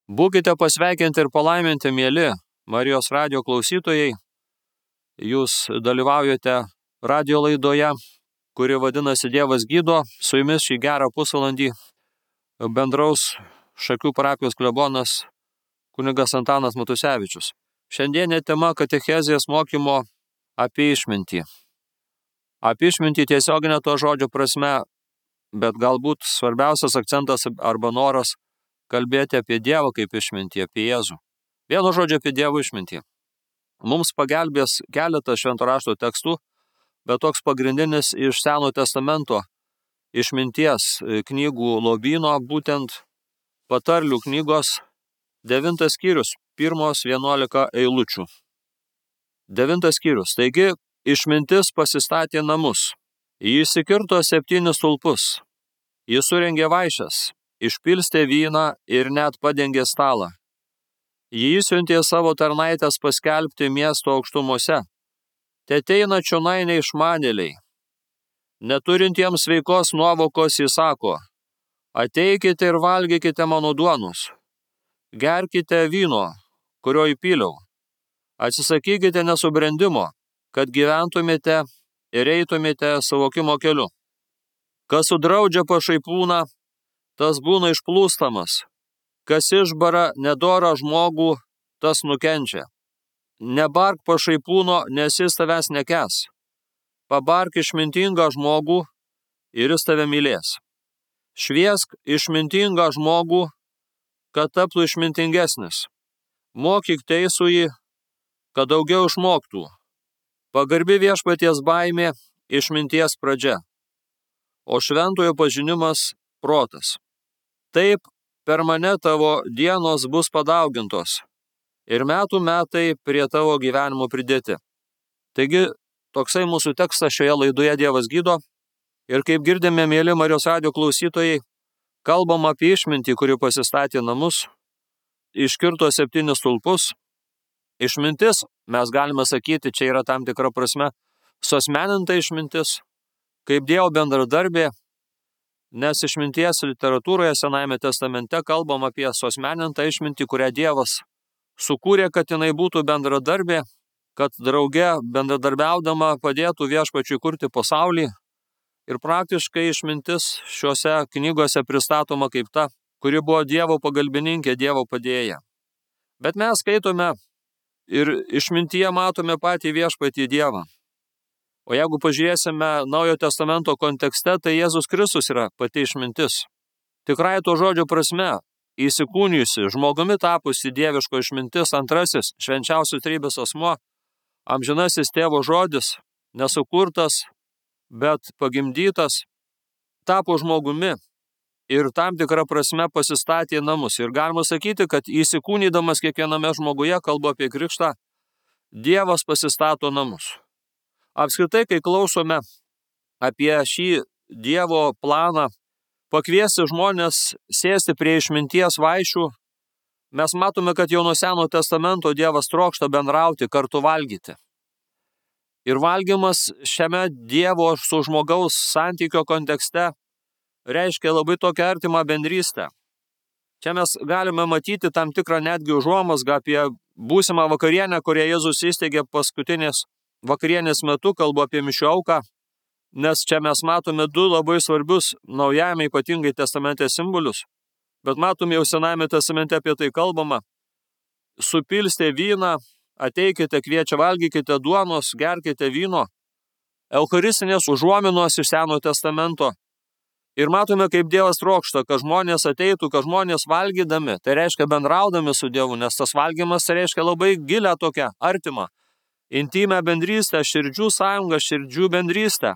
Būkite pasveikinti ir palaiminti, mieli Marijos radijo klausytojai. Jūs dalyvaujate radijo laidoje, kuri vadinasi Dievas gydo. Su jumis šį gerą pusvalandį bendraus Šakių parapijos klebonas kunigas Antanas Matusevičius. Šiandienė tema katechezės mokymo apie išmintį. Apie išmintį tiesioginę to žodžio prasme, bet galbūt svarbiausias akcentas arba noras kalbėti apie Dievą kaip išmintį, apie Jėzų. Vienu žodžiu apie Dievo išmintį. Mums pagelbės keletas švento rašto tekstų, bet toks pagrindinis iš Seno testamento išminties knygų lobyno, būtent patarlių knygos 9 skyrius, 1-11 eilučių. 9 skyrius. Taigi, išmintis pasistatė namus. Ji įsikirto 7 stulpus. Ji surengė vaišes, išpilstė vyną ir net padengė stalą. Ji išsiuntė savo tarnaitės paskelbti miesto aukštumose. Teteina čionai neišmanėliai. Neturintiems sveikos nuovokos jis sako: ateikite ir valgykite mano duonos. Gerkite vyno, kurio įpyliau. Atsisakykite nesubrendimo, kad gyventumėte ir eitumėte suvokimo keliu. Kas sudraudžia pašaipūną, tas būna išplūstamas. Kas išbara nedorą žmogų, tas nukenčia. Nebark pašaipūno, nes jis tavęs nekęs. Pabark išmintingą žmogų ir jis tave mylės. Šviesk išmintingą žmogų, kad taptų išmintingesnis. Mokyk teisųjį, kad daugiau išmoktų. Pagarbi viešpaties baimė išminties pradžia, o šventojo pažinimas protas. Taip per mane tavo dienos bus padaugintos ir metų metai prie tavo gyvenimo pridėti. Taigi, toksai mūsų tekstas šioje laidoje Dievas gydo. Ir kaip girdime, mėly Marijos radijo klausytojai, kalbam apie išmintį, kuri pasistatė namus, iškirto 7 stulpus. Išmintis, mes galime sakyti, čia yra tam tikra prasme suasmeninta išmintis, kaip Dievo bendradarbė, nes išminties literatūroje Senajame testamente kalbam apie suasmenintą išmintį, kurią Dievas sukūrė, kad jinai būtų bendradarbė, kad drauge bendradarbiaudama padėtų viešpačiui kurti pasaulį. Ir praktiškai išmintis šiuose knygose pristatoma kaip ta, kuri buvo Dievo pagalbininkė, Dievo padėja. Bet mes skaitome ir išmintyje matome patį viešpatį Dievą. O jeigu pažiūrėsime Naujojo testamento kontekste, tai Jėzus Kristus yra pati išmintis. Tikrai to žodžio prasme, įsikūnijusi, žmogumi tapusi dieviško išmintis, antrasis švenčiausios trejybės asmuo, amžinasis tėvo žodis, nesukurtas, bet pagimdytas, tapo žmogumi ir tam tikrą prasme pasistatė namus. Ir galima sakyti, kad įsikūnydamas kiekviename žmoguje, kalbu apie krikštą, Dievas pasistato namus. Apskritai, kai klausome apie šį Dievo planą pakviesti žmonės sėsti prie išminties vaišių, mes matome, kad jau nuo Seno testamento Dievas trokšta bendrauti, kartu valgyti. Ir valgymas šiame Dievo su žmogaus santykio kontekste reiškia labai tokią artimą bendrystę. Čia mes galime matyti tam tikrą netgi užuomazgą apie būsimą vakarienę, kurią Jėzus įsteigė paskutinės vakarienės metu, kalbu apie mišių auką, nes čia mes matome 2 labai svarbius Naujajame ypatingai testamente simbolius, bet matome jau Senajame testamente apie tai kalbama. Supilstė vyną, ateikite, kviečia, valgykite duonos, gerkite vyno. Eucharistinės užuominos iš Senojo testamento. Ir matome, kaip Dievas trokšta, kad žmonės ateitų, kad žmonės valgydami, tai reiškia bendraudami su Dievu, nes tas valgymas tai reiškia labai gilią tokią artimą, intimę bendrystę, širdžių sąjungą, širdžių bendrystę.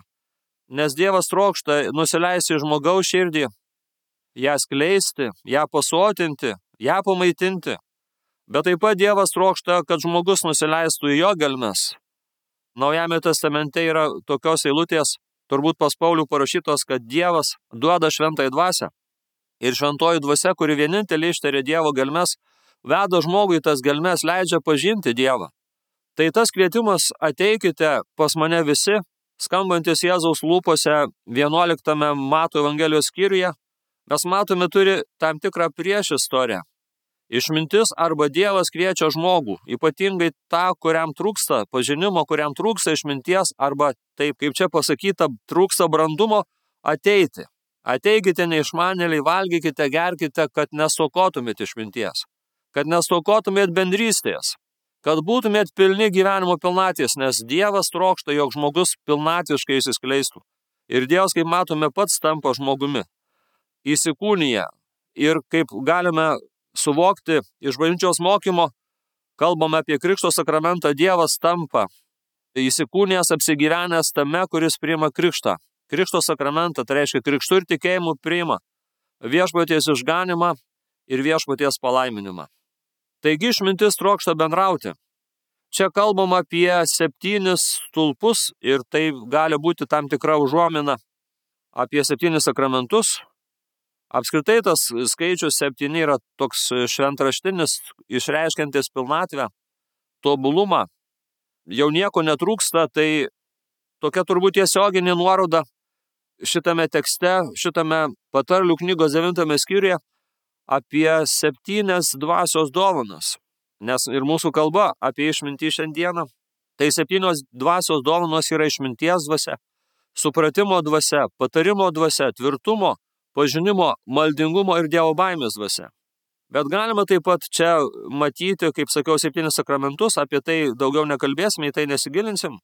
Nes Dievas trokšta nusileisti žmogaus širdį, ją skleisti, ją pasotinti, ją pamaitinti. Bet taip pat Dievas trokšta, kad žmogus nusileistų į jo gelmes. Naujame testamente yra tokios eilutės, turbūt pas Paulių parašytos, kad Dievas duoda šventąją dvasią. Ir šventoji dvasia, kuri vienintelė ištarė Dievo gelmes, veda žmogui tas gelmes, leidžia pažinti Dievą. Tai tas kvietimas ateikite pas mane visi, skambantis Jėzaus lūpose 11 Mato Evangelijos skyriuje, mes matome turi tam tikrą priešistorę. Išmintis arba Dievas kviečia žmogų, ypatingai tą, kuriam trūksta pažinimo, kuriam trūksta išminties, arba taip, kaip čia pasakyta, trūksta brandumo, ateiti. Ateikite neišmanėliai, valgykite, gerkite, kad nestokotumėt išminties, kad nestokotumėt bendrystės, kad būtumėt pilni gyvenimo pilnaties, nes Dievas trokšta, jog žmogus pilnatviškai įsiskleistų. Ir Dievas, kaip matome, pats tampa žmogumi, įsikūnija. Ir kaip galime suvokti iš bažnyčios mokymo, kalbame apie Krikšto sakramentą, Dievas tampa įsikūnijęs, apsigyvenęs tame, kuris priima krikštą. Krikšto sakramentą, tai reiškia krikštų ir tikėjimų priima viešpaties išganimą ir viešpaties palaiminimą. Taigi išmintis trokšta bendrauti. Čia kalbam apie 7 stulpus ir tai gali būti tam tikra užuomina apie 7 sakramentus. Apskritai tas skaičius 7 yra toks šventraštinis, išreiškiantis pilnatvę, tobulumą. Jau nieko netrūksta, tai tokia turbūt tiesioginė nuoroda šitame tekste, šitame patarlių knygos 9 skyriuje apie 7 dvasios dovanas. Nes ir mūsų kalba apie išmintį šiandieną, tai 7 dvasios dovanos yra išminties dvasia, supratimo dvasia, patarimo dvasia, tvirtumo, pažinimo, maldingumo ir Dievo baimės dvasia. Bet galima taip pat čia matyti, kaip sakiau, 7 sakramentus, apie tai daugiau nekalbėsime, į tai nesigilinsim.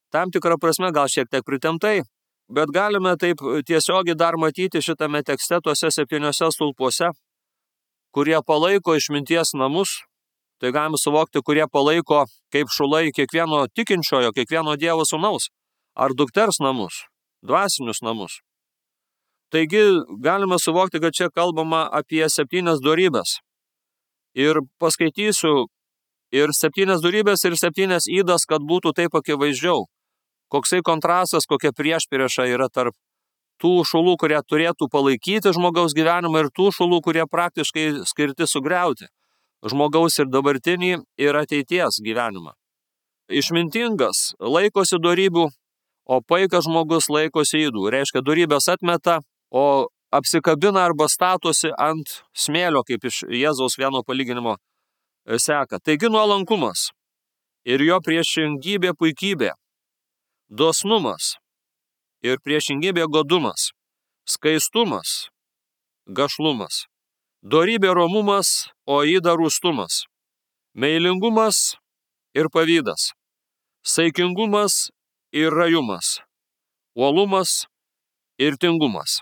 Tam tikrą prasme gal šiek tiek pritemptai, bet galime taip tiesiogiai dar matyti šitame tekste tuose 7 stulpuose, kurie palaiko išminties namus, tai galime suvokti, kurie palaiko kaip šulai kiekvieno tikinčiojo, kiekvieno Dievo sūnaus ar dukters namus, dvasinius namus. Taigi galime suvokti, kad čia kalbama apie 7 dorybes. Ir paskaitysiu ir 7 dorybes, ir 7 ydas, kad būtų taip akivaizdžiau. Koksai kontrastas, kokia priešprieša yra tarp tų šulų, kurie turėtų palaikyti žmogaus gyvenimą, ir tų šulų, kurie praktiškai skirti sugriauti žmogaus ir dabartinį, ir ateities gyvenimą. Išmintingas laikosi dorybių, o paikas žmogus laikosi ydų. Reiškia, dorybės atmeta, o apsikabina arba statosi ant smėlio, kaip iš Jėzaus vieno palyginimo seka. Taigi nuolankumas ir jo priešingybė puikybė, dosnumas ir priešingybė godumas, skaistumas, gašlumas, dorybė romumas, o yda rūstumas, meilingumas ir pavydas, saikingumas ir rajumas, uolumas ir tingumas.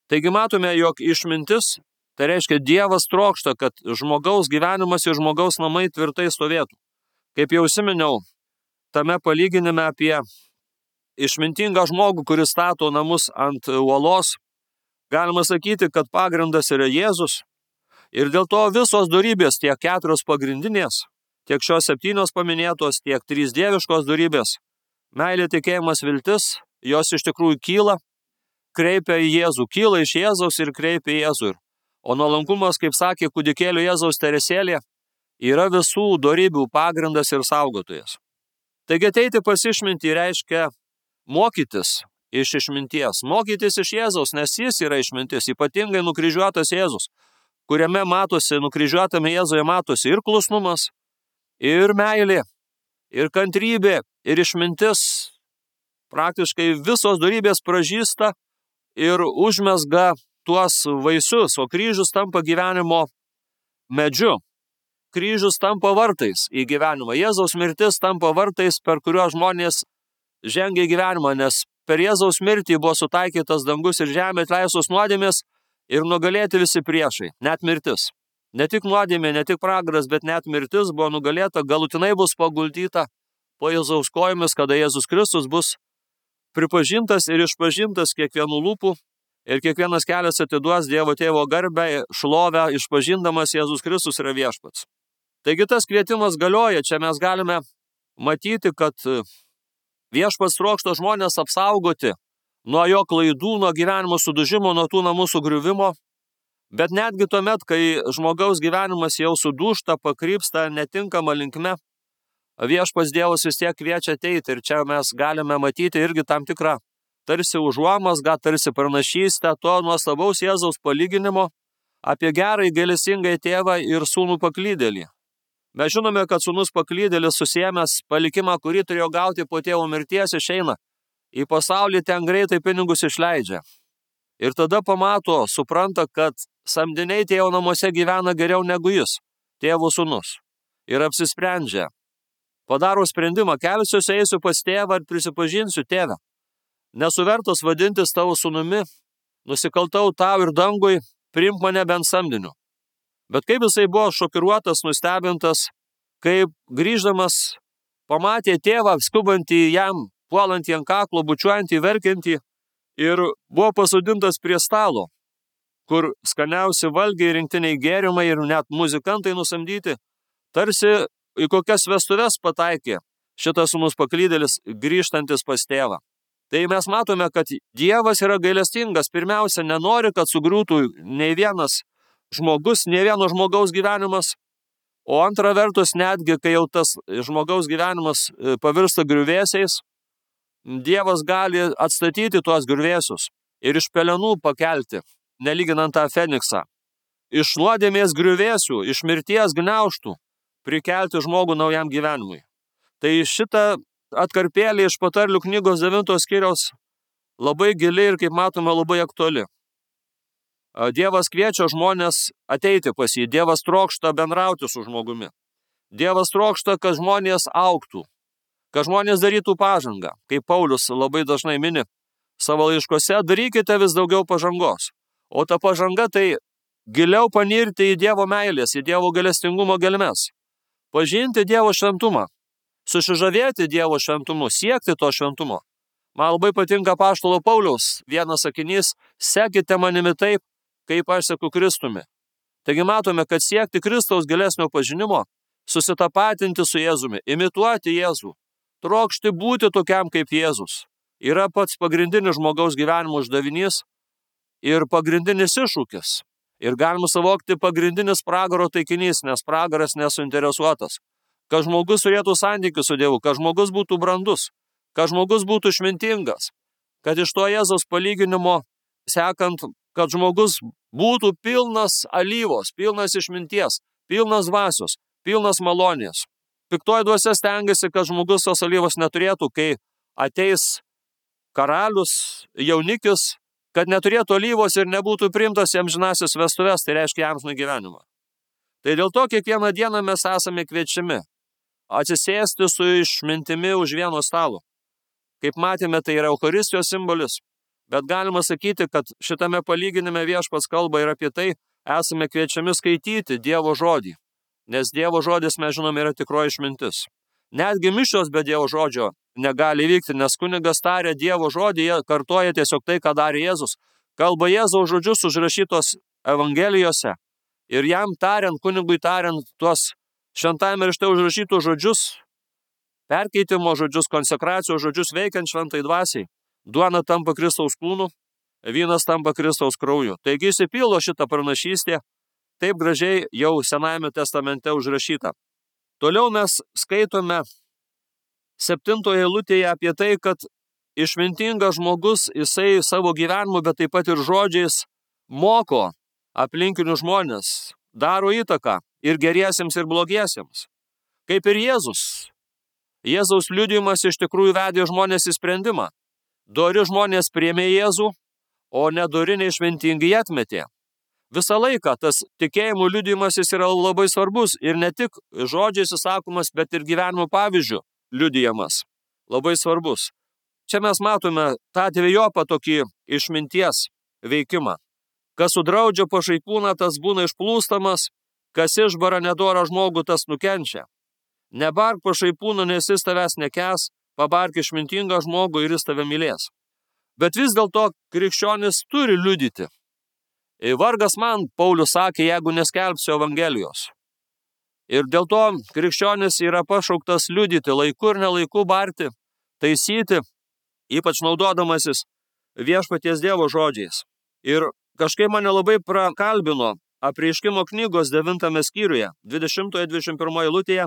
Taigi matome, jog išmintis, tai reiškia Dievas trokšta, kad žmogaus gyvenimas ir žmogaus namai tvirtai stovėtų. Kaip jau užsiminiau, tame palyginime apie išmintingą žmogų, kuris stato namus ant uolos, galima sakyti, kad pagrindas yra Jėzus. Ir dėl to visos dorybės, tiek 4 pagrindinės, tiek šios 7 paminėtos, tiek 3 dieviškos dorybės, meilė, tikėjimas, viltis, jos iš tikrųjų kyla, kreipia į Jėzų, kyla iš Jėzaus ir kreipia į Jėzų. O nuolankumas, kaip sakė kūdikėlio Jėzaus Teresėlė, yra visų dorybių pagrindas ir saugotojas. Taigi ateiti pas išmintį reiškia mokytis iš išminties, mokytis iš Jėzaus, nes jis yra išmintis, ypatingai nukryžiuotas Jėzus, kuriame matosi, nukryžiuotame Jėzuje matosi ir klusnumas, ir meilė, ir kantrybė, ir išmintis. Praktiškai visos dorybės pražysta ir užmezga tuos vaisius, o kryžius tampa gyvenimo medžiu. Kryžius tampa vartais į gyvenimą. Jėzaus mirtis tampa vartais, per kuriuos žmonės žengia į gyvenimą, nes per Jėzaus mirtį buvo sutaikytas dangus ir žemė, atleistos nuodėmės ir nugalėti visi priešai, net mirtis. Ne tik nuodėmė, ne tik pragaras, bet net mirtis buvo nugalėta, galutinai bus paguldyta po Jėzaus kojomis, kada Jėzus Kristus bus pripažintas ir išpažintas kiekvienų lūpų, ir kiekvienas kelias atiduos Dievo Tėvo garbę, šlovę, išpažindamas Jėzus Kristus yra viešpats. Taigi tas kvietimas galioja, čia mes galime matyti, kad viešpats trokšta žmonės apsaugoti nuo jo klaidų, nuo gyvenimo sudužimo, nuo tų namų sugriuvimo, bet netgi tuomet, kai žmogaus gyvenimas jau sudūžta, pakrypsta netinkama linkme, viešpats Dievas vis tiek kviečia ateiti, ir čia mes galime matyti irgi tam tikrą tarsi užuomazgą, tarsi pranašystę to nuostabaus Jėzaus palyginimo apie gerąjį gailestingąjį tėvą ir sūnų paklydėlį. Mes žinome, kad sūnus paklydėlis susiėmęs palikimą, kurį turėjo gauti po tėvo mirties, išeina į pasaulį, ten greitai pinigus išleidžia. Ir tada pamato, supranta, kad samdiniai tėvo namuose gyvena geriau negu jis, tėvo sūnus. Ir apsisprendžia. Padaro sprendimą, kelsiuosi, eisiu pas tėvą ir prisipažinsiu, tėve. Nesu vertas vadintis tavo sūnumi, nusikaltau tau ir dangui, priimk mane bent samdiniu. Bet kaip jisai buvo šokiruotas, nustebintas, kaip grįždamas pamatė tėvą skubantį jam, puolantį ant kaklo, bučiuojantį, verkiantį ir buvo pasodintas prie stalo, kur skaniausi valgiai, rinktiniai gėrimai ir net muzikantai nusamdyti, tarsi į kokias vestuves pataikė šitas sūnus paklydėlis grįžtantis pas tėvą. Tai mes matome, kad Dievas yra gailestingas, pirmiausia, nenori, kad sugriūtų nei vienas žmogus, nei vieno žmogaus gyvenimas, o antra vertus, netgi kai jau tas žmogaus gyvenimas pavirsta griuvėsiais, Dievas gali atstatyti tuos griuvėsius ir iš pelenų pakelti, nelyginant tą Feniksą. Iš nuodėmės griuvėsių, iš mirties gniaužtų prikelti žmogų naujam gyvenimui. Tai šitą atkarpėlį iš Patarlių knygos 9 skyriaus labai gili ir, kaip matome, labai aktuali. Dievas kviečia žmonės ateiti pas jį. Dievas trokšta bendrauti su žmogumi. Dievas trokšta, kad žmonės augtų, kad žmonės darytų pažangą. Kaip Paulius labai dažnai mini savo laiškose, darykite vis daugiau pažangos. O ta pažanga tai giliau panirti į Dievo meilės, į Dievo gailestingumo gelmes. Pažinti Dievo šventumą, susižavėti Dievo šventumu, siekti to šventumo. Man labai patinka apaštalo Pauliaus vienas sakinys, sekite manimi taip, kaip aš seku Kristumi. Taigi matome, kad siekti Kristaus gilesnio pažinimo, susitapatinti su Jėzumi, imituoti Jėzų, trokšti būti tokiam kaip Jėzus, yra pats pagrindinis žmogaus gyvenimo uždavinys ir pagrindinis iššūkis. Ir galima savokti pagrindinis pragaro taikinys, nes pragaras nesuinteresuotas. Kad žmogus turėtų santykių su Dievu, kad žmogus būtų brandus, kad žmogus būtų išmintingas, kad iš to Jėzaus palyginimo sekant, kad žmogus būtų pilnas alyvos, pilnas išminties, pilnas dvasios, pilnas malonės. Piktoji dvasia stengiasi, kad žmogus tos alyvos neturėtų, kai ateis karalius, jaunikis, kad neturėtų alyvos ir nebūtų priimtas į amžinąsias vestuves, tai reiškia amžiną gyvenimą. Tai dėl to kiekvieną dieną mes esame kviečiami atsisėsti su išmintimi už vieno stalo. Kaip matėme, tai yra Eucharistijos simbolis, bet galima sakyti, kad šitame palyginime Viešpats kalba ir apie tai, esame kviečiami skaityti Dievo žodį, nes Dievo žodis, mes žinome, yra tikroji išmintis. Netgi mišios be Dievo žodžio negali vykti, nes kunigas taria Dievo žodį, jie kartoja tiesiog tai, ką darė Jėzus. Kalba Jėzaus žodžius užrašytos Evangelijose ir jam tariant, kunigui tariant tuos šventajame rašte užrašytus žodžius, perkeitimo žodžius, konsekracijos žodžius veikiant šventai dvasiai. Duona tampa Kristaus kūnu, vynas tampa Kristaus krauju. Taigi išsipildo šitą pranašystę, taip gražiai jau Senajame testamente užrašyta. Toliau mes skaitome 7 eilutėje apie tai, kad išmintingas žmogus, jisai savo gyvenimu, bet taip pat ir žodžiais moko aplinkinių žmonės, daro įtaką ir geriesiems, ir blogiesiems. Kaip ir Jėzus. Jėzaus liudijimas iš tikrųjų vedė žmonės į sprendimą. Dori žmonės priėmė Jėzų, o nedori neišmintingi jį atmetė. Visą laiką tas tikėjimo liudijimas jis yra labai svarbus ir ne tik žodžiais įsakomas, bet ir gyvenimo pavyzdžių liudijamas. Labai svarbus. Čia mes matome tą dvejopą tokį išminties veikimą. Kas sudraudžia pašaipūną, tas būna išplūstamas, kas išbara nedorą žmogų, tas nukenčia. Nebark pašaipūną, nes jis tavęs nekęs, pabark išmintingą žmogų ir jis tave mylės. Bet vis dėlto krikščionis turi liudyti. Vargas man, Paulius sakė, jeigu neskelbsiu Evangelijos. Ir dėl to krikščionis yra pašauktas liudyti laiku ir nelaiku, barti, taisyti, ypač naudodamasis Viešpaties Dievo žodžiais. Ir kažkaip mane labai prakalbino Apreiškimo knygos 9 skyriuje, 20-21 eilutėje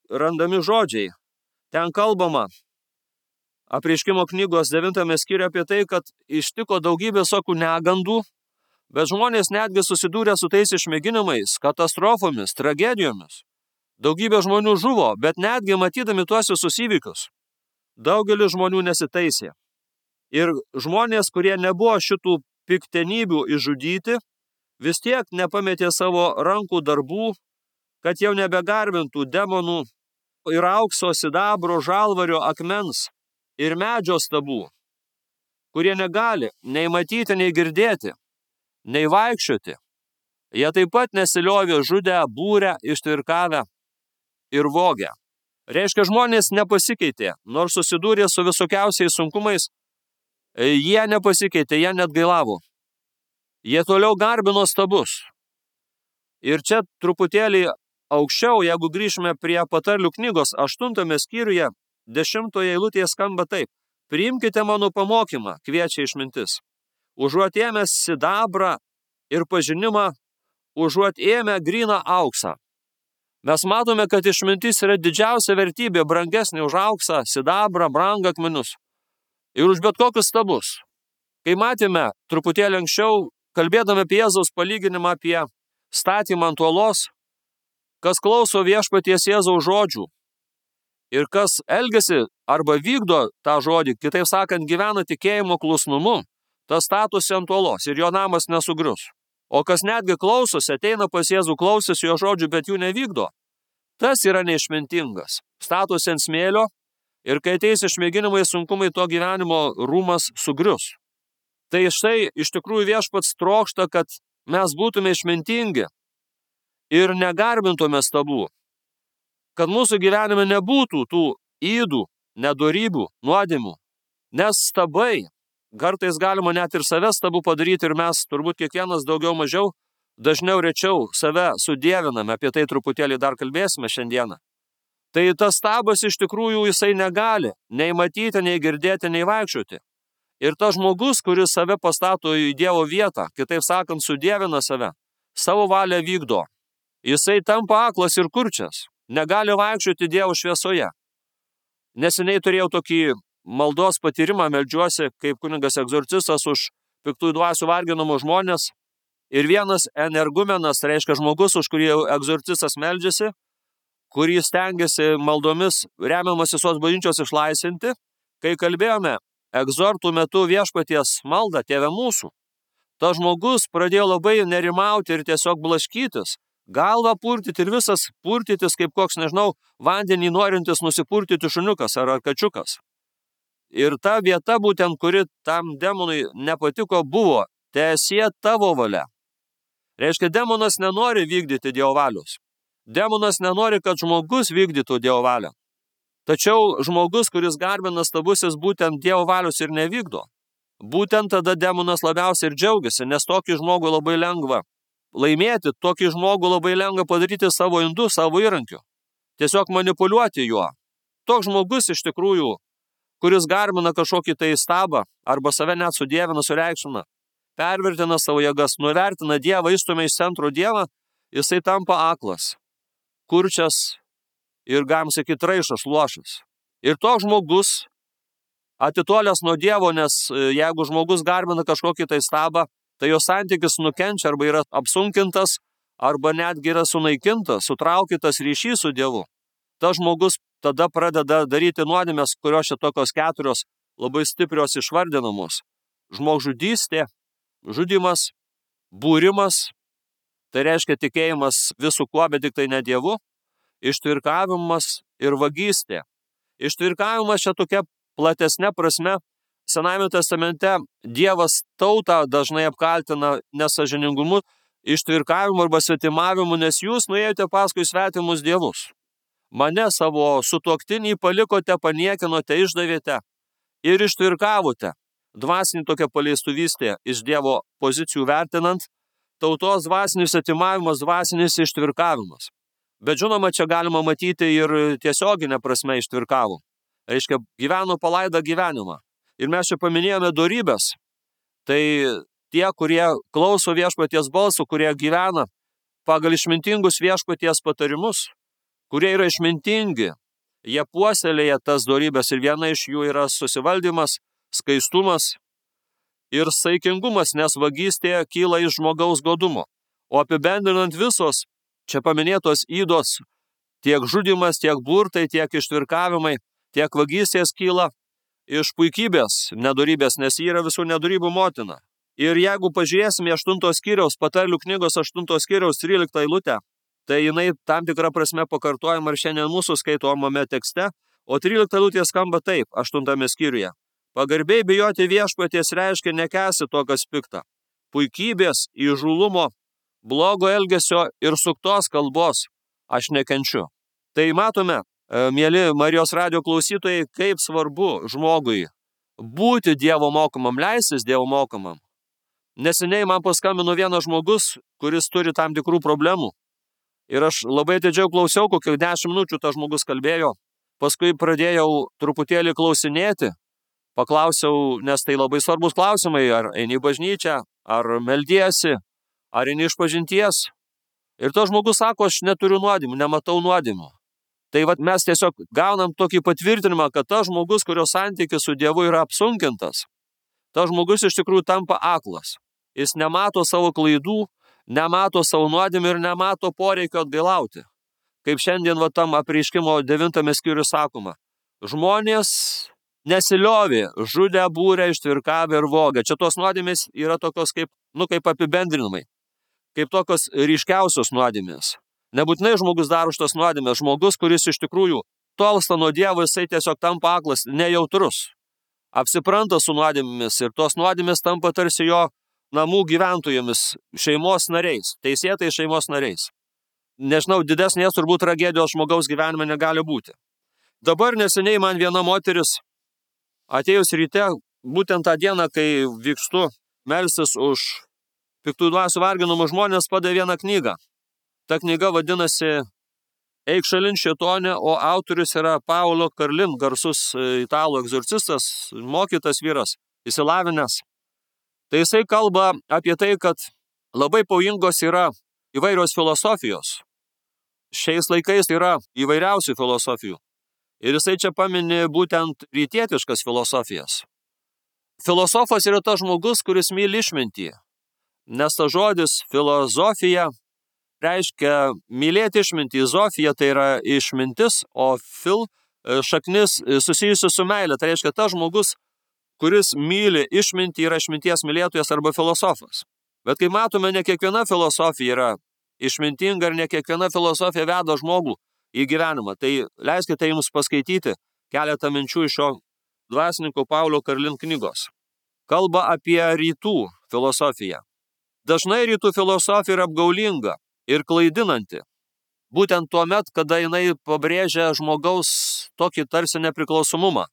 randami žodžiai. Ten kalbama Apreiškimo knygos 9 skyriuje apie tai, kad ištiko daugybė visokių negandų, Bet žmonės netgi susidūrė su tais išmėginimais, katastrofomis, tragedijomis. Daugybė žmonių žuvo, bet netgi matydami tuos visus įvykius, daugelis žmonių nesitaisė. Ir žmonės, kurie nebuvo šitų piktenybių išžudyti, vis tiek nepametė savo rankų darbų, kad jau nebegarbintų demonų ir aukso, sidabro, žalvario, akmens ir medžio stabų, kurie negali nei matyti, nei girdėti, nei vaikščioti. Jie taip pat nesiliovė žudę, būrę, ištvirkavę ir vogę. Reiškia, žmonės nepasikeitė, nors susidūrė su visokiausiais sunkumais, jie nepasikeitė, jie net gailavo. Jie toliau garbino stabus. Ir čia truputėlį aukščiau, jeigu grįžime prie patarlių knygos 8 skyriuje, 10 eilutėje skamba taip. Priimkite mano pamokymą, kviečia išmintis. Užuot ėmęs sidabrą ir pažinimą, užuot ėmę gryną auksą. Mes matome, kad išmintis yra didžiausia vertybė, brangesnė už auksą, sidabrą, brangakmenius ir už bet kokius stabus. Kai matėme truputėlį anksčiau, kalbėdami apie Jėzaus palyginimą apie statymą ant uolos, kas klauso viešpaties Jėzaus žodžių ir kas elgiasi arba vykdo tą žodį, kitaip sakant, gyvena tikėjimo klusnumu, tas statosi ant uolos ir jo namas nesugrius. O kas netgi klausosi, ateina pas Jėzų, klausosi jo žodžių, bet jų nevykdo, tas yra neišmintingas. Statosi ant smėlio ir kai ateis išmėginimai, sunkumai, to gyvenimo rūmas sugrius. Tai štai iš tikrųjų viešpats trokšta, kad mes būtume išmintingi ir negarbintume stabų, kad mūsų gyvenime nebūtų tų ydų, nedorybių, nuodėmių, nes stabai, kartais galima net ir save stabų padaryti ir mes turbūt kiekvienas daugiau mažiau, dažniau rečiau save sudieviname, apie tai truputėlį dar kalbėsime šiandieną. Tai tas stabas iš tikrųjų jisai negali nei matyti, nei girdėti, nei vaikščioti. Ir tas žmogus, kuris save pastato į Dievo vietą, kitaip sakant, sudievina save, savo valią vykdo. Jisai tampa aklas ir kurčias, negali vaikščioti Dievo šviesoje. Neseniai turėjau tokį maldos patyrimą, meldžiuosi kaip kunigas egzorcistas už piktųjų dvasių varginamus žmonės. Ir vienas energumenas, reiškia žmogus, už kurį egzorcistas meldžiasi, kurį stengiasi maldomis remiamas visos bažnyčios išlaisvinti, kai kalbėjome egzortų metu viešpaties maldą, Tėve mūsų, tas žmogus pradėjo labai nerimauti ir tiesiog blaškytis, galvą purtyti ir visas purtytis kaip koks, nežinau, vandenį norintis nusipurtyti šuniukas ar kačiukas. Ir ta vieta būtent, kuri tam demonui nepatiko, buvo teesie tavo valia. Reiškia, demonas nenori vykdyti Dievo valios. Demonas nenori, kad žmogus vykdytų Dievo valią. Tačiau žmogus, kuris garbina stabus, jis būtent Dievo valios ir nevykdo. Būtent tada demonas labiausiai ir džiaugiasi, nes tokį žmogų labai lengva laimėti, tokį žmogų labai lengva padaryti savo indu, savo įrankiu. Tiesiog manipuliuoti juo. Toks žmogus iš tikrųjų, kuris garbina kažkokį tai stabą, arba save net sudievina, sureikšmina, pervertina savo jėgas, nuvertina Dievą, išstumia iš centro Dievą, jisai tampa aklas, kurčias ir, galim sakyti, raišas, luošas. Ir toks žmogus atitolęs nuo Dievo, nes jeigu žmogus garbina kažkokį tai stabą, tai jo santykis nukenčia arba yra apsunkintas, arba netgi yra sunaikintas, sutraukytas ryšys su Dievu. Tas žmogus tada pradeda daryti nuodėmes, kurios čia tokios 4 labai stiprios išvardinamos. Žmogžudystė, žudymas, būrimas, tai reiškia tikėjimas visų kuo, bet tik tai ne Dievu, ištvirkavimas ir vagystė. Ištvirkavimas čia tokia platesnė prasme. Senajame testamente Dievas tautą dažnai apkaltina nesąžiningumu, ištvirkavimu arba svetimavimu, nes jūs nuėjote paskui svetimus dievus. Mane savo sutuoktinį palikote, paniekinote, išdavėte ir ištvirkavote. Dvasinį tokia paleistuvystė iš Dievo pozicijų vertinant, tautos dvasinis atimavimas, dvasinis ištvirkavimas. Bet žinoma, čia galima matyti ir tiesioginę prasme ištvirkavo. Reiškia, gyveno palaidą gyvenimą. Ir mes čia paminėjome dorybės. Tai tie, kurie klauso viešpaties balsų, kurie gyvena pagal išmintingus viešpaties patarimus, kurie yra išmintingi, jie puoselėja tas dorybės ir viena iš jų yra susivaldymas, skaistumas. ir saikingumas, nes vagystė kyla iš žmogaus godumo. O apibendrinant visos čia paminėtos ydos, tiek žudymas, tiek burtai, tiek ištvirkavimai, tiek vagystės kyla iš puikybės, nedorybės, nes ji yra visų nedorybių motina. Ir jeigu pažiūrėsime 8 skyriaus, Patarlių knygos 8 skyriaus 13 eilutę, tai jinai tam tikrą prasme pakartojama ir šiandien mūsų skaitomame tekste, o 13 eilutė skamba taip 8 skyriuje. Pagarbiai bijoti viešpaties reiškia nekęsti to, kas pikta. Puikybės, įžūlumo, blogo elgesio ir suktos kalbos aš nekenčiu. Tai matome, mieli Marijos radijo klausytojai, kaip svarbu žmogui būti Dievo mokomam, leistis Dievo mokomam. Neseniai man paskambino vienas žmogus, kuris turi tam tikrų problemų. Ir aš labai atidžiau klausiau, kokių 10 minučių tas žmogus kalbėjo. Paskui pradėjau truputėlį klausinėti. Paklausiau, nes tai labai svarbus klausimai, ar eini į bažnyčią, ar meldiesi, ar eini išpažinties. Ir tas žmogus sako, aš neturiu nuodėmių, nematau nuodėmių. Tai mes tiesiog gaunam tokį patvirtinimą, kad tas žmogus, kurio santykis su Dievu yra apsunkintas, tas žmogus iš tikrųjų tampa aklas. Jis nemato savo klaidų, nemato savo nuodėmių ir nemato poreikio atgailauti. Kaip šiandien tam apreiškimo 9 skyriuje sakoma, žmonės nesiliovė, žudė, būrė, ištvirkavę ir vogė. Čia tos nuodėmės yra tokios kaip apibendrinimai, kaip tokios ryškiausios nuodėmės. Nebūtinai žmogus daro šitas nuodėmės. Žmogus, kuris iš tikrųjų tolsta nuo Dievo, jisai tiesiog tampa aklas, nejautrus. Apsipranta su nuodėmėmis ir tos nuodėmės tampa tarsi jo namų gyventojomis, šeimos nariais, teisėtais šeimos nariais. Nežinau, didesnės turbūt tragedijos žmogaus gyvenime negali būti. Dabar neseniai man viena moteris atėjus ryte, būtent tą dieną, kai vykstu melstis už piktų dvasių varginamus žmonės, padavė vieną knygą. Ta knyga vadinasi Eik šalin šėtone, o autorius yra Paolo Karlin, garsus italų egzorcistas, mokytas vyras, išsilavinęs. Tai jisai kalba apie tai, kad labai pavojingos yra įvairios filosofijos. Šiais laikais yra įvairiausių filosofijų. Ir jisai čia pamini būtent rytietiškas filosofijas. Filosofas yra tas žmogus, kuris myli išmintį. Nes tas žodis filosofija reiškia mylėti išmintį. Zofija tai yra išmintis, o šaknis susijusi su meilė. Tai reiškia tas žmogus, kuris myli išmintį, yra išminties mylėtojas arba filosofas. Bet kaip matome, ne kiekviena filosofija yra išmintinga ir ne kiekviena filosofija veda žmogų į gyvenimą. Tai leiskite jums paskaityti keletą minčių iš šio dvasininko Paulo Karlin knygos. Kalba apie rytų filosofiją. Dažnai rytų filosofija yra apgaulinga ir klaidinanti. Būtent tuo met, kada jinai pabrėžia žmogaus tokį tarsi nepriklausomumą.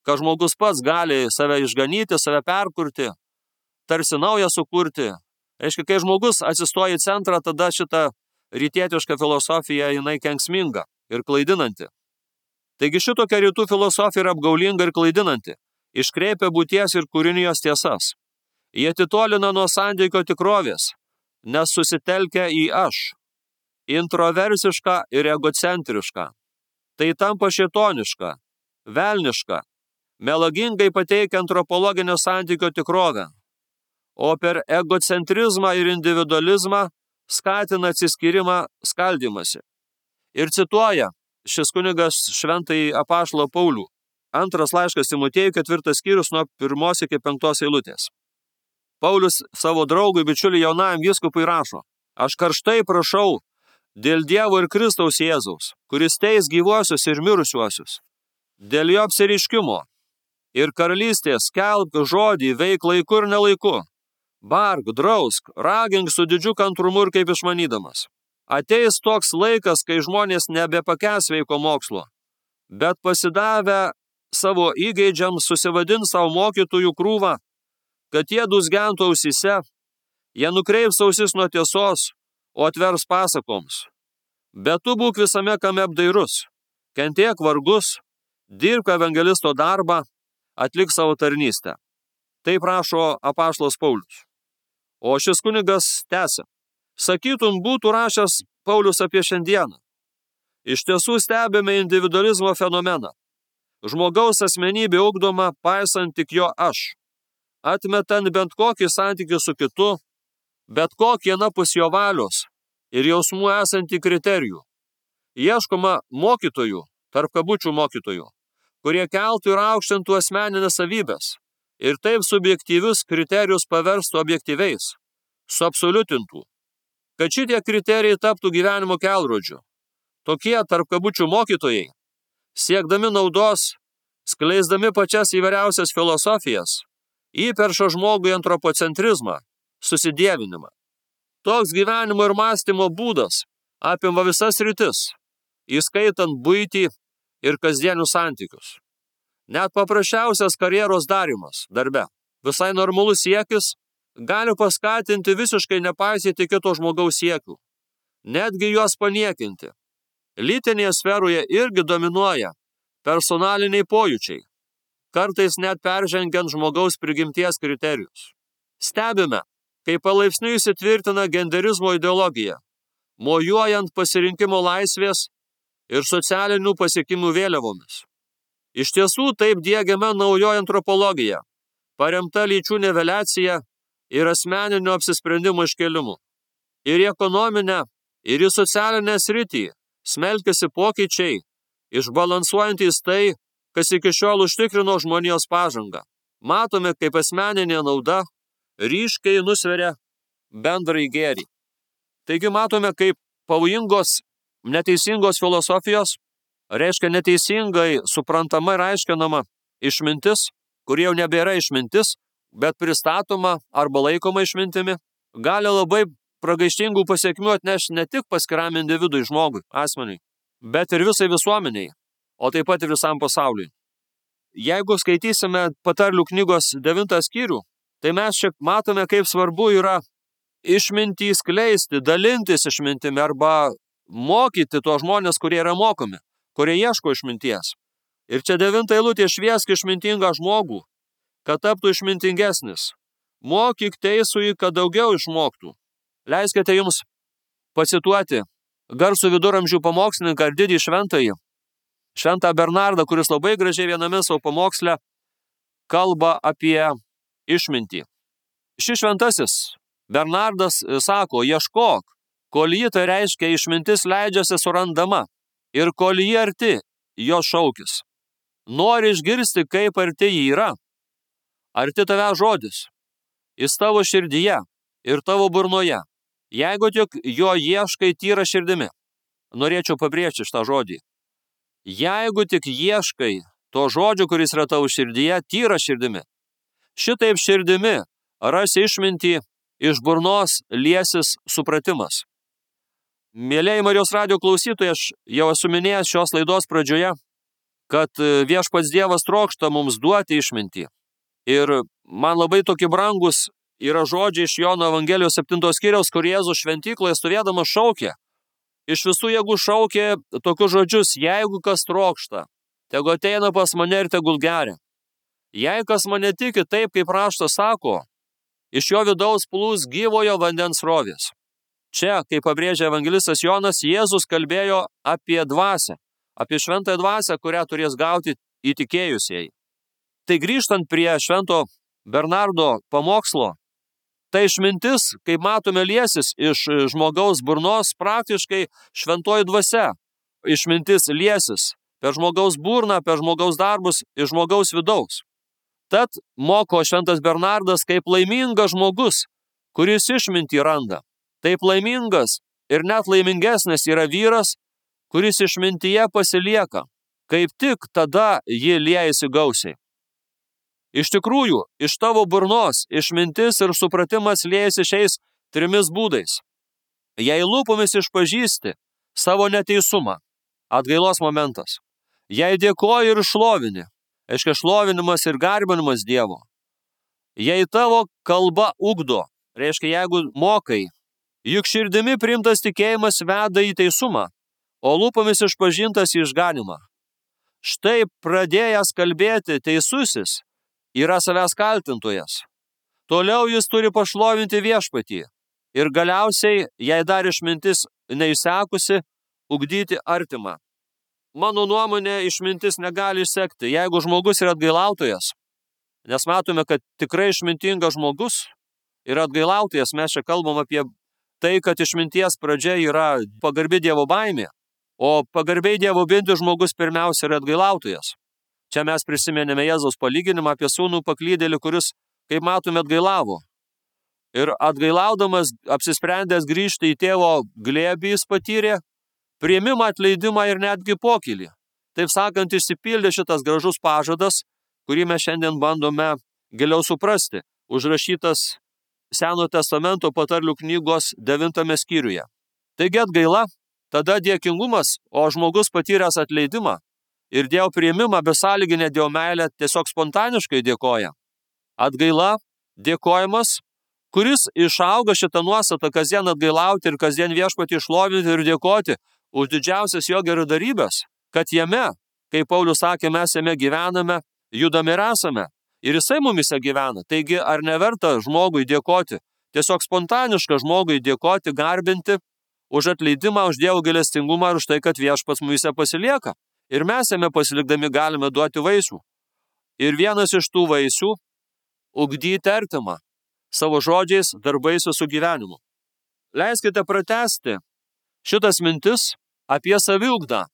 Kad žmogus pats gali save išganyti, save perkurti, tarsi naują sukurti. Reiškia, kai žmogus atsistoja į centrą, tada šita rytietiška filosofija jinai kenksminga ir klaidinanti. Taigi šitokia rytų filosofija yra apgaulinga ir klaidinanti. Iškreipia būties ir kūrinijos tiesas. Jie atitolina nuo santykio tikrovės, nes susitelkia į aš, introversišką ir egocentrišką. Tai tampa šėtoniška, velniška, melagingai pateikia antropologinio santykio tikrovę, o per egocentrizmą ir individualizmą skatina atsiskyrimą, skaldymąsi. Ir cituoja šis kunigas šventąjį apaštalą Paulių. 2 laiškas Timotiejui, 4 skyrius nuo 1 iki 5 eilutės. Paulius savo draugui, bičiuliui jaunajam vyskupui rašo: Aš karštai prašau dėl Dievo ir Kristaus Jėzaus, kuris teis gyvuosius ir mirusiuosius, dėl jo apsireiškimo ir karalystės skelbk žodį, veik laiku ir nelaiku, bark, drausk, ragink su didžiu kantrumu ir kaip išmanydamas. Ateis toks laikas, kai žmonės nebepakęs sveiko mokslo, bet pasidavę savo įgeidžiams susivadins savo mokytojų krūvą, kad jie dūzgentų ausyse, jie nukreips ausis nuo tiesos, o atvers pasakoms. Bet tu būk visame kame apdairus, kentėk vargus, dirbk evangelisto darbą, atlik savo tarnystę. Taip rašo apaštalas Paulius. O šis kunigas tęsia. Sakytum, būtų rašęs Paulius apie šiandieną. Iš tiesų stebime individualizmo fenomeną. Žmogaus asmenybė ugdoma paisant tik jo aš. atmetant bent kokį santykį su kitu, bet kokį anapus jo valios ir jausmų esantį kriterijų. Ieškoma mokytojų, tarp kabučių mokytojų, kurie keltų ir aukštintų asmeninės savybės ir taip subjektyvius kriterijus paverstų objektyviais, suabsoliutintų, kad šitie kriterijai taptų gyvenimo kelrodžiu. Tokie tarp kabučių mokytojai, siekdami naudos, skleisdami pačias įvairiausias filosofijas, įperša žmogui antropocentrizmą, susidievinimą. Toks gyvenimo ir mąstymo būdas apima visas sritis, įskaitant buitį ir kasdienius santykius. Net paprasčiausias karjeros darymas darbe, visai normalus siekis, gali paskatinti visiškai nepaisyti kito žmogaus siekių, netgi juos paniekinti. Lytinėje sferoje irgi dominuoja personaliniai pojūčiai, kartais net peržengiant žmogaus prigimties kriterijus. Stebime, kaip palaipsniui įsitvirtina genderizmo ideologija, mojuojant pasirinkimo laisvės ir socialinių pasiekimų vėliavomis. Iš tiesų taip diegiama naujoji antropologija, paremta lyčių niveliacija ir asmeninio apsisprendimo iškėlimu. Ir į ekonominę, ir į socialinę sritį smelkiasi pokyčiai, išbalansuojantys tai, kas iki šiol užtikrino žmonijos pažangą. Matome, kaip asmeninė nauda ryškiai nusveria bendrąjį gėrį. Taigi matome, kaip pavojingos, neteisingos filosofijos, reiškia neteisingai suprantama ir aiškinama išmintis, kurie jau nebėra išmintis, bet pristatoma arba laikoma išmintimi, gali labai pragaištingų pasiekmių atnešti ne tik paskiram individui, žmogui, asmeniui, bet ir visai visuomeniai, o taip pat ir visam pasauliui. Jeigu skaitysime patarlių knygos 9 skyrių, tai mes čia matome, kaip svarbu yra išmintį skleisti, dalintis išmintimi arba mokyti tuos žmonės, kurie yra mokomi, kurie ieško išminties. Ir čia 9 eilutė: šviesk išmintingą žmogų, kad taptų išmintingesnis. Mokyk teisųjį, kad daugiau išmoktų. Leiskite jums pacituoti garsų viduramžių pamokslininką ir didį šventąjį, Šventą Bernardą, kuris labai gražiai viename savo pamoksle kalba apie išmintį. Šis šventasis Bernardas sako: ieškok, kol ji, tai reiškia išmintis, leidžiasi surandama, ir kol ji arti, jo šaukis. Nori išgirsti, kaip arti ji yra. Arti tave žodis, jis tavo širdyje ir tavo burnoje, jeigu tik jo ieškai tyra širdimi. Norėčiau pabrėžti šitą žodį. Jeigu tik ieškai to žodžio, kuris yra tavo širdyje, tyra širdimi. Šitaip širdimi rasi išmintį, iš burnos liesis supratimas. Mėlieji Marijos radijo klausytojai, aš jau esu minėjęs šios laidos pradžioje, kad viešpats Dievas trokšta mums duoti išmintį. Ir man labai tokie brangus yra žodžiai iš Jono Evangelijos 7 skyriaus, kur Jėzus šventykloje stovėdamas šaukė. Iš visų jėgų šaukė tokius žodžius: jeigu kas trokšta, tegu ateina pas mane ir tegul geria. Jei kas mane tiki taip, kaip raštas sako, iš jo vidaus plūs gyvojo vandens srovės. Čia, kaip pabrėžia evangelistas Jonas, Jėzus kalbėjo apie dvasią, apie šventąją dvasią, kurią turės gauti įtikėjusieji. Tai grįžtant prie švento Bernardo pamokslo, tai išmintis, kaip matome, liesis iš žmogaus burnos, praktiškai šventoji dvasia. Išmintis liesis per žmogaus burną, per žmogaus darbus iš žmogaus vidaus. Tad moko šventas Bernardas, kaip laimingas žmogus, kuris išmintį randa. Taip laimingas ir net laimingesnis yra vyras, kuris išmintyje pasilieka. Kaip tik tada ji liejasi gausiai. Iš tikrųjų, iš tavo burnos išmintis ir supratimas liejasi šiais 3 būdais. Jei lūpomis išpažįsti savo neteisumą, atgailos momentas. Jei dėkoji ir šlovini, aiškia šlovinimas ir garbinimas Dievo. Jei tavo kalba ugdo, reiškia jeigu mokai, juk širdimi priimtas tikėjimas veda į teisumą, o lūpomis išpažintas į išganymą. Štai pradėjęs kalbėti teisusis yra savęs kaltintojas. Toliau jis turi pašlovinti viešpatį ir galiausiai, jei dar išmintis neišsekusi, ugdyti artimą. Mano nuomonė, išmintis negali išsekti. Jeigu žmogus yra atgailautojas, Nes matome, kad tikrai išmintingas žmogus ir atgailautojas, mes čia kalbam apie tai, kad išminties pradžia yra pagarbi Dievo baimė, o pagarbiai Dievo binti žmogus pirmiausia yra atgailautojas. Čia mes prisimenėme Jėzaus palyginimą apie sūnų paklydėlį, kuris, kaip matome, atgailavo. Ir atgailaudamas, apsisprendęs grįžti į tėvo glėbį, jis patyrė priėmimą, atleidimą ir netgi pokylį. Taip sakant, išsipildė šitas gražus pažadas, kurį mes šiandien bandome giliau suprasti, užrašytas Senojo testamento patarlių knygos 9 skyriuje. Taigi atgaila, tada dėkingumas, o žmogus patyręs atleidimą ir Dievo priėmimą besąlyginę Dievo meilę tiesiog spontaniškai dėkoja. Atgaila, dėkojimas, kuris išauga šitą nuostatą kasdien atgailauti ir kasdien viešpatį šlovinti ir dėkoti už didžiausias jo geradarybes, kad jame, kaip Paulius sakė, mes jame gyvename, judame ir esame. Ir jisai mumise gyvena. Taigi, ar neverta žmogui dėkoti, tiesiog spontaniška žmogui dėkoti, garbinti už atleidimą, už Dievo gailestingumą ir už tai, kad viešpats mumise pasilieka. Ir mes jame pasilikdami galime duoti vaisių. Ir vienas iš tų vaisių – ugdyti artimą savo žodžiais, darbais su gyvenimu. Leiskite pratęsti šitas mintis apie saviugdą,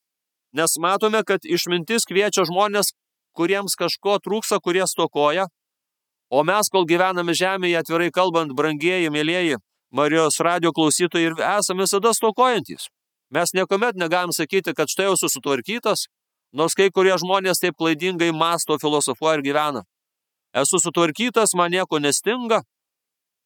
nes matome, kad išmintis kviečia žmonės, kuriems kažko trūksta, kurie stokoja, o mes, kol gyvename žemėje, atvirai kalbant, brangieji, mėlieji, Marijos radijo klausytojai, ir esame visada stokojantys. Mes niekuomet negalim sakyti, kad štai jau susitvarkytas, nors kai kurie žmonės taip klaidingai mąsto, filosofuoja ir gyvena. Esu sutvarkytas, man nieko nestinga,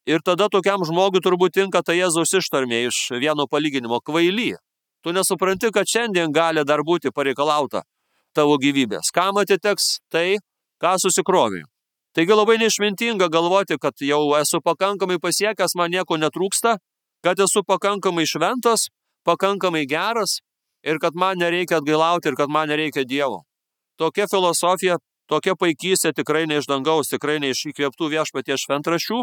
ir tada tokiam žmogui turbūt tinka ta Jėzaus ištarmė iš vieno palyginimo – kvaily. Tu nesupranti, kad šiandien gali dar būti pareikalauta tavo gyvybės. Kam atiteks tai, ką susikrovė. Taigi labai neišmintinga galvoti, kad jau esu pakankamai pasiekęs, man nieko netrūksta, kad esu pakankamai šventas, pakankamai geras ir kad man nereikia atgailauti ir kad man nereikia Dievo. Tokia filosofija, tokia paikystė tikrai ne iš dangaus, tikrai ne iš įkvėptų viešpaties šventraščių,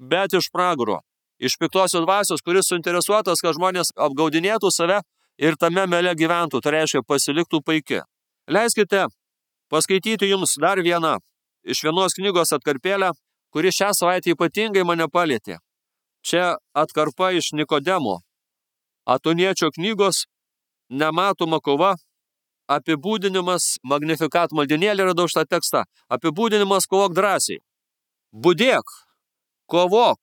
bet iš pragaro, iš piktosios dvasios, kuris suinteresuotas, kad žmonės apgaudinėtų save ir tame mele gyventų, tai reiškia pasiliktų paiki. Leiskite paskaityti jums dar vieną iš vienos knygos atkarpėlę, kuri šią savaitę ypatingai mane palietė. Čia atkarpa iš Nikodemo, Atoniečio knygos Nematoma kova, apibūdinimas, Magnificat maldynėlį radau šitą tekstą, apibūdinimas kovok drąsiai. Budėk, kovok,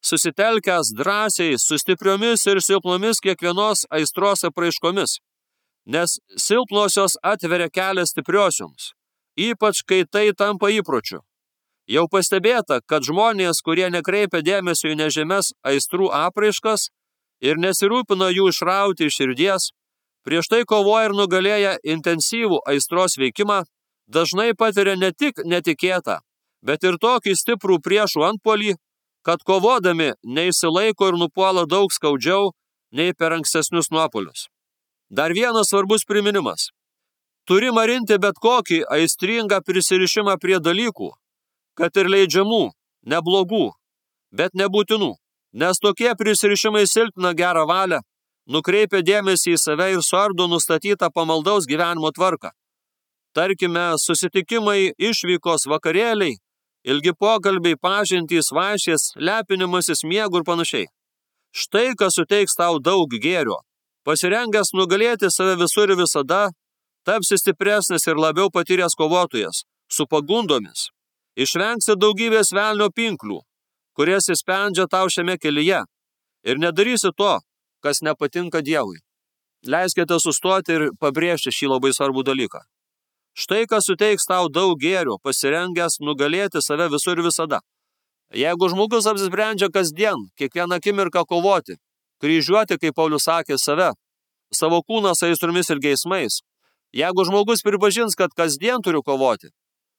susitelkęs drąsiai, su stipriomis ir silpnomis kiekvienos aistros apraiškomis. Nes silpnosios atveria kelią stipriosioms, ypač kai tai tampa įpročiu. Jau pastebėta, kad žmonės, kurie nekreipia dėmesio į nežemes aistrų apraiškas ir nesirūpina jų išrauti iš širdies, prieš tai kovoja ir nugalėja intensyvų aistros veikimą, dažnai patiria ne tik netikėtą, bet ir tokį stiprų priešų antpuolį, kad kovodami neišsilaiko ir nupuola daug skaudžiau nei per ankstesnius nuopuolius. Dar vienas svarbus priminimas. Turi marinti bet kokį aistringą prisirišimą prie dalykų, kad ir leidžiamų, neblogų, bet nebūtinų, nes tokie prisirišimai silpna gerą valią, nukreipia dėmesį į save ir suardo nustatytą pamaldaus gyvenimo tvarką. Tarkime, susitikimai, išvykos, vakarėliai, ilgi pokalbiai, pažintys, vaišės, lepinimasis, miegų ir panašiai. Štai, kas suteiks tau daug gėrio. Pasirengęs nugalėti save visur ir visada, tapsi stipresnis ir labiau patyręs kovotojas, su pagundomis. Išvengsi daugybės velnio pinklių, kurias įspendžia tau šiame kelyje, ir nedarysi to, kas nepatinka Dievui. Leiskite sustoti ir pabrėžti šį labai svarbų dalyką. Štai, kas suteiks tau daug gėrio, pasirengęs nugalėti save visur ir visada. Jeigu žmogus apsisprendžia kasdien, kiekvieną akimirką kovoti, kryžiuoti, kaip Paulius sakė, save, savo kūną aistromis ir geismais, jeigu žmogus pripažins, kad kasdien turiu kovoti,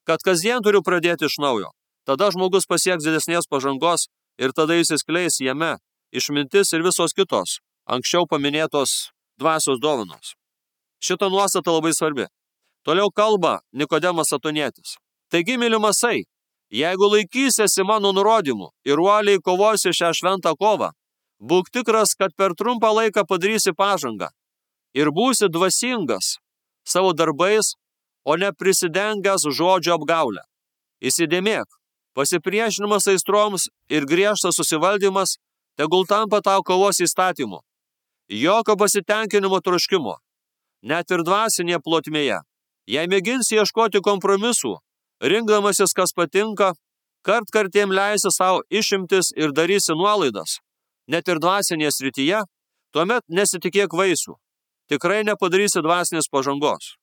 kad kasdien turiu pradėti iš naujo, tada žmogus pasieks didesnės pažangos ir tada įsiskleis jame išmintis ir visos kitos, anksčiau paminėtos dvasios dovanos. Šita nuostata labai svarbi. Toliau kalba Nikodemas Atonietis. Taigi, mylimasai, jeigu laikysiesi mano nurodymų ir uoliai kovosi šią šventą kovą, būk tikras, kad per trumpą laiką padarysi pažangą ir būsi dvasingas savo darbais, o ne prisidengęs žodžio apgaulę. Įsidėmėk, pasipriešinimas aistroms ir griežtas susivaldymas tegul tampa tau kovos įstatymu. Jokio pasitenkinimo troškimo, net ir dvasinėje plotmėje. Jei mėginsi ieškoti kompromisų, rinkdamasis kas patinka, kartkartėm leisi savo išimtis ir darysi nuolaidas, net ir dvasinėje srityje, tuomet nesitikėk vaisių. Tikrai nepadarysi dvasinės pažangos.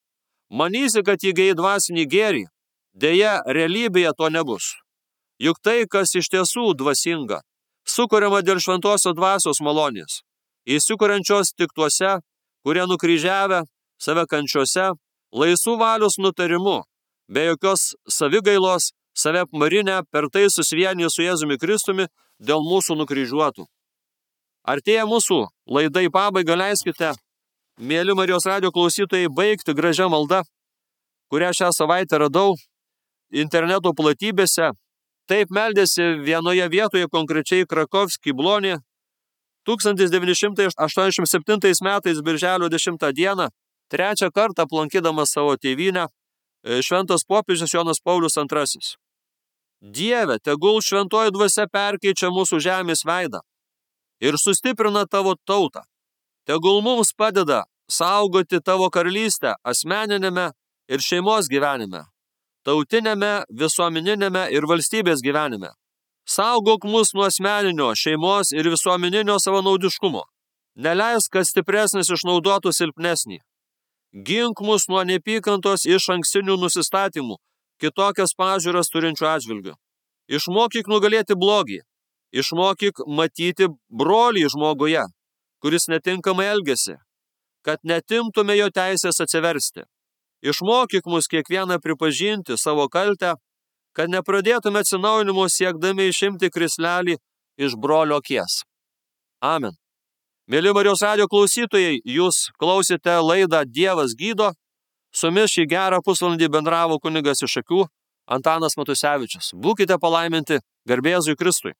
Manysi, kad įgyji dvasinį gėrį, deja, realybėje to nebus. Juk tai, kas iš tiesų dvasinga, sukuriama dėl šventosios dvasios malonės, įsikuriančios tik tuose, kurie nukryžiavę save kančiose, laisvų valios nutarimu, be jokios savigailos, save apmarinę, per tai susivieniję su Jėzumi Kristumi dėl mūsų nukryžiuotų. Artėja mūsų laida į pabaigą, leiskite, mėly Marijos radijo klausytojai, baigti gražią maldą, kurią šią savaitę radau interneto platybėse. Taip meldėsi vienoje vietoje, konkrečiai Krakovsky Blonė, 1987 metais birželio 10 dieną, trečią kartą aplankydamas savo tėvynę, šventas popiežius Jonas Paulius II. Dieve, tegul šventoji dvasia perkeičia mūsų žemės veidą ir sustiprina tavo tautą. Tegul mums padeda saugoti tavo karalystę asmeninėme ir šeimos gyvenime, tautinėme, visuomeninėme ir valstybės gyvenime. Saugok mus nuo asmeninio, šeimos ir visuomeninio savanaudiškumo. Neleisk, kad stipresnis išnaudotų silpnesnį. Gink mus nuo neapykantos iš ankstinių nusistatymų, kitokias pažiūras turinčių atžvilgių. Išmokyk nugalėti blogį. Išmokyk matyti brolį žmoguje, kuris netinkamai elgiasi, kad netimtume jo teisės atsiversti. Išmokyk mus kiekvieną pripažinti savo kaltę, kad nepradėtume atsinaujinimo siekdami išimti krislelį iš brolio akies. Amen. Mėly Marijos radijo klausytojai, jūs klausėte laidą Dievas gydo. Su jumis šį gerą pusvalandį bendravo kunigas iš Šakių Antanas Matusevičius. Būkite palaiminti, garbė Jėzui Kristui.